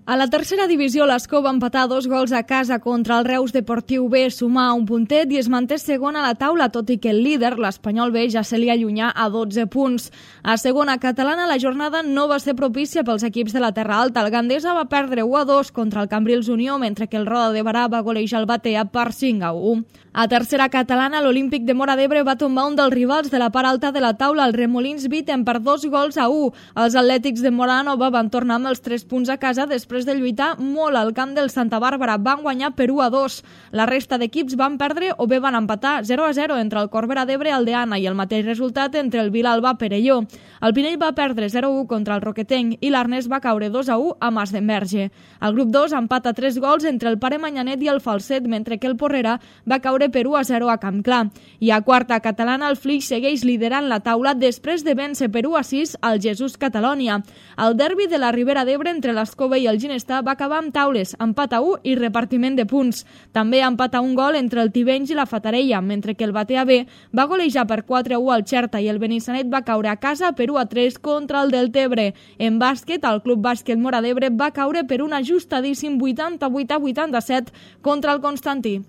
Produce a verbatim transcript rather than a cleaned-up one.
A la tercera divisió, l'Escó va empatar dos gols a casa contra el Reus Deportiu B, sumar un puntet i es manté segon a la taula, tot i que el líder, l'Espanyol B, ja se li allunyà a dotze punts. A segona catalana, la jornada no va ser propícia pels equips de la Terra Alta. El Gandesa va perdre u a dos contra el Cambrils Unió, mentre que el Roda de Barà va golejar el Batea per cinc a u. A tercera catalana, l'Olímpic de Móra d'Ebre va tombar un dels rivals de la part alta de la taula, el Remolins Bitten, per dos gols a u. Els atlètics de Móra Nova van tornar amb els tres punts a casa després de lluitar molt al camp del Santa Bàrbara. Van guanyar per u a dos. La resta d'equips van perdre o bé van empatar zero a zero entre el Corbera d'Ebre, Aldeana, i el mateix resultat entre el Vilalba Perelló. El Pinell va perdre zero a u contra el Roquetenc i l'Arnès va caure dos a u a Mas d'Enverge. El grup dos empata tres gols entre el Pare Manyanet i el Falset, mentre que el Porrera va caure per u a zero a Campclar. I a quarta catalana, el Flix segueix liderant la taula després de vèncer per u a sis al Jesús Catalònia. El derbi de la Ribera d'Ebre entre l'Escova i el Ginestar va acabar amb taules, empat a u i repartiment de punts. També empat a un gol entre el Tivenys i la Fatarella, mentre que el Batea B va golejar per quatre a u al Xerta i el Benissanet va caure a casa per u a tres contra el Deltebre. En bàsquet, el Club Bàsquet Móra d'Ebre va caure per un ajustadíssim vuitanta-vuit a vuitanta-set contra el Constantí.